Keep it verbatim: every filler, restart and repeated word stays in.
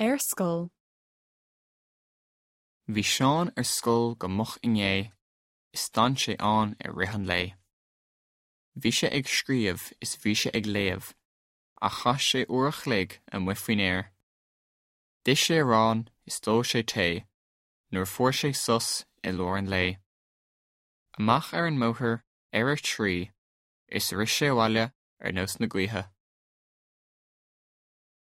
Ar scoil. Bhí Seán ar scoil go moch inné is d'fhan sé ann i rith an lae. Bhí sé ag scríobh is bhí sé ag léamh, ach chaith sé uair a chloig amuigh faoin aer. D'ith sé arán is d'ól sé tae, nuair fuair sé sos i lár an lae. Amach ar an mbóthar ar a trí, is rith sé abhaile ar nós na gaoithe.